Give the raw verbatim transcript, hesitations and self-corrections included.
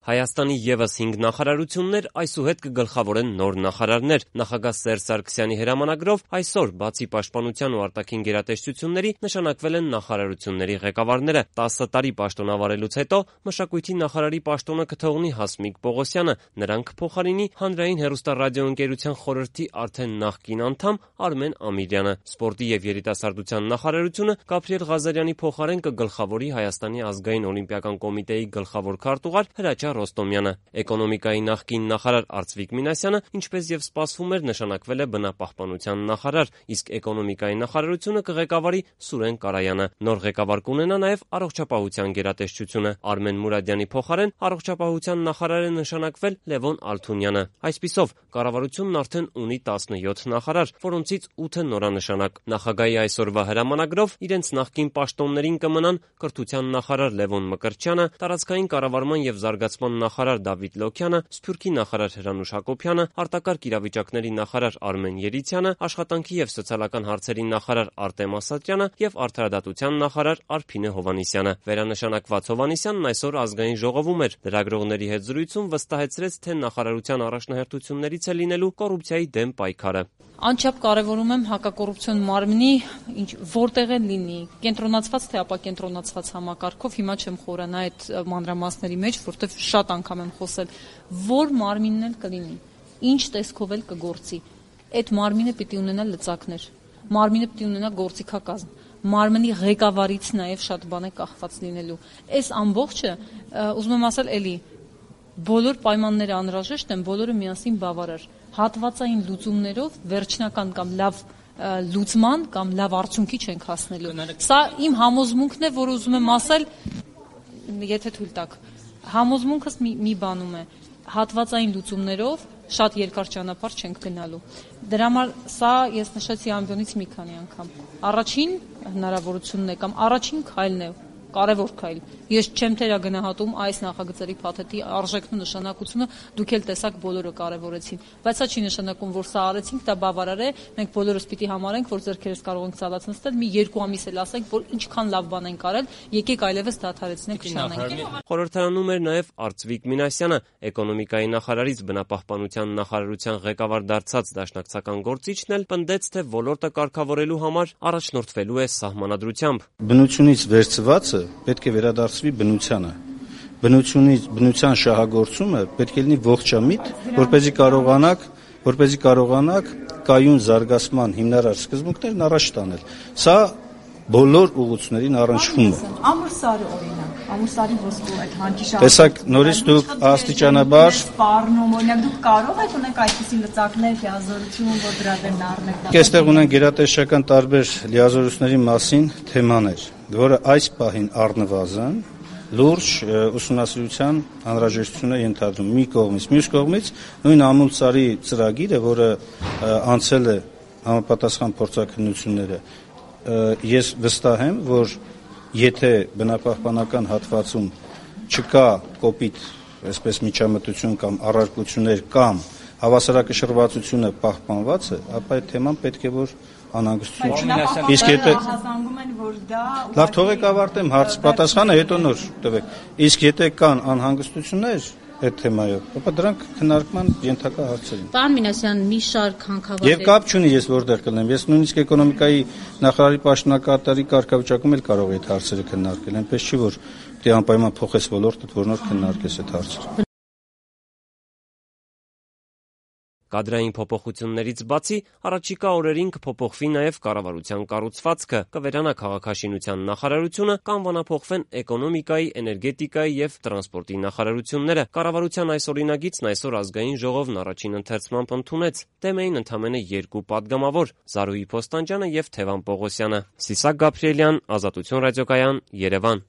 Հայաստանի ևս հինգ նախարարություններ այսուհետ կգլխավորեն նոր նախարարներ։ Նախագահ Սերժ Սարգսյանի հրամանագրով այսօր բացի պաշտպանության ու արտաքին գերատեսչությունների նշանակվել են նախարարությունների ղեկավարները։ տասը տարի պաշտոնավարելուց հետո մշակույթի նախարարի պաշտոնը կթողնի Հասմիկ Պողոսյանը, նրան կփոխարինի Հանրային հեռուստառադիոընկերության խորհրդի արդեն նախկին անդամ Արմեն Ամիրյանը։ Սպորտի և երիտասարդության նախարարությունը Գաբրիել Ղազարյանի փոխարեն կգլխավորի Հայաստանի ազգային օլիմպիական կոմիտեի գլխավոր քարտուղար Հրաչյա Ռոստոմյանը։ Էկոնոմիկայի նախկին նախարար Արծվիկ Մինասյանը, ինչպես եւ սպասվում էր, նշանակվել է բնապահպանության նախարար, իսկ էկոնոմիկայի նախարարությունը կղեկավարի Սուրեն Կարայանը։ Նոր ղեկավար կունենա նաեւ առողջապահության գերատեսչությունը։ Արմեն Մուրադյանի փոխարեն առողջապահության նախարար է նշանակվել Լևոն Ալթունյանը։ Այսպիսով, կառավարությունն արդեն ունի տասնյոթ նախարար, որոնցից ութը նորանշանակ։ Նախագահի այսօրվա հրամանագրով իրենց նախկին պաշտոններին կմնան կրթության նախարար Լևոն Մկրտչյանը, տարածքային կառավարման եւ զարգացման նախարար Դավիթ Լոքյանը, Սփյուռքի նախարար Հրանուշ Հակոբյանը, արտակարգ իրավիճակների նախարար Արմեն Երիցյանը, աշխատանքի եւ սոցիալական հարցերի նախարար Արտեմ Ասատրյանը եւ արդարադատության նախարար Արփինե Հովհաննիսյանը։ Վերանշանակված Հովհաննիսյանն այսօր ազգային ժողովում էր։ Լրագրողների հետ զրույցում վստահեցրեց, թե նախարարության առաջնահերթություններից է լինելու կոռուպցիայի դեմ պայքարը։ Անչափ կարևորում եմ հակակոռուպցիոն մարմնի ինչ որտեղ է լինի, կենտրոնացված թե ապակենտրոնացված համակարգով, հիմա չեմ խորանա այդ մանրամասների մեջ, որտեղ շատ անգամ եմ խոսել, որ մարմինն էլ կլինի, ինչ տեսքով էլ կգործի, այդ մարմինը պիտի ունենա լծակներ, մարմինը պիտի ունենա գործիքակազմ, մարմնի ղեկավարից նաև շատ բան է կախված լինելու։ Այս ամբողջը, ուզում եմ ասել էլի, բոլոր պայմանները անհրաժեշտ են, բոլորը միասին բավարար։ Հատվածային լուծումներով վերջնական կամ լավ լուծման կամ լավ արդյունքի չենք հասնելու։ Սա իմ համոզմունքն է, որ ուզում եմ ասել, եթե թույլ տաք, համոզմունքս մի, մի բանում է, հատվածային լուծումներով շատ երկար ճանապարհ չենք գնալու։ Դրա համար սա ես նշեցի ամբյոնից մի քանի անգամ։ Առաջին հնարավորությունն է կամ առաջին քայլն է, կարևոր քայլ։ Ես չեմ թերագնահատում այս նախագծերի փաթեթի արժեքն ու նշանակությունը, դուք էլ տեսաք բոլորը կարևորեցին, բայց սա չի նշանակում, որ սա արեցինք, դա բավարար է, մենք բոլորս պիտի համարենք, որ ձեռքերս կարող ենք ցաված նստել, մի երկու ամիս էլ ասենք, որ ինչքան լավ բան ենք արել, եկեք այլևս դադարեցնենք չանենք։ Խորհրդարանում էր նաև Արծվիկ Մինասյանը, էկոնոմիկայի նախարարից բնապահպանության նախարարության ղեկավար դարձած դաշնակցական գործիչն էլ պնդեց, թե ոլորտը կարգավորելու համար առաջնորդվելու է սահմանադրությամբ։ Բնությունից վերցվածը պետք է վերադարձվի բնությանը։ Բնությունից բնության շահագործումը պետք է լինի ողջամիտ, որպեսզի կարողանաք, որպեսզի կարողանաք կայուն զարգացման հիմնարար սկզբունքներն առաջ տանել։ Սա բոլոր ուղղություններին առնչվում է։ Ամուրսարի օրինակ, ամուրսարի ոսկու այդ հանճիշ։ Տեսակ նորից դուք աստիճանաբար սպառնում, օրինակ դուք կարող եք ունենք այդպիսի լծակներ, լիազորություն, որ դրա դեմ առնեք։ Այստեղ ունենք գերատեսչական տարբեր լիազորությունների մասին թեմաներ, որը այս պահին առնվազն լուրջ ուսումնասիրության անհրաժեշտություն է ենթադրում մի կողմից, մյուս կողմից նույն ամուսարի ծրագիրը, որը անցել է համապատասխան փորձաքննությունները, ես վստահ եմ, որ եթե բնապահպանական հատվածում չկա կոպիտ, այսպես միջամտություն կամ առարկություններ կամ հավասարակշռվածությունը պահպանված է, ապա այդ թեման պետք է որ անհանգստություն չունենա։ Իսկ եթե հասկանում են, որ դա լավ թողեք ավարտեմ հարց պատասխանը, հետո նոր տվեք։ Իսկ եթե կան անհանգստություններ այդ թեմայով, ապա դրանք քննարկման ենթակա հարցեր են։ Պարոն Մինասյան, մի շարք հանքավայրեր։ Եվ կապ չունի ես որտեղ կլինեմ։ Ես նույնիսկ էկոնոմիկայի նախարարի պաշտոնակատարի կարգավիճակում էլ կարող եմ այդ հարցերը քննարկել։ Այնպես չի որ դե անպայման փոխես ոլորտը, որ նոր քննարկես այդ հարցերը։ Կադրային փոփոխություններից բացի առաջիկա օրերին կփոփոխվի նաև կառավարության կառուցվածքը, կվերանա քաղաքաշինության նախարարությունը, կանվանափոխվեն էկոնոմիկայի, էներգետիկայի եւ տրանսպորտի նախարարությունները։ Կառավարության այս օրինագիծն այսօր ազգային ժողովն առաջին ընթերցմամբ ընդունեց։ Դեմ էին ընդամենը երկու падգամավոր՝ Զարուհի Փոստանջյանը եւ Թևան Պողոսյանը։ Սիսակ Գաբրիելյան, Ազատություն ռադիոկայան, Երևան։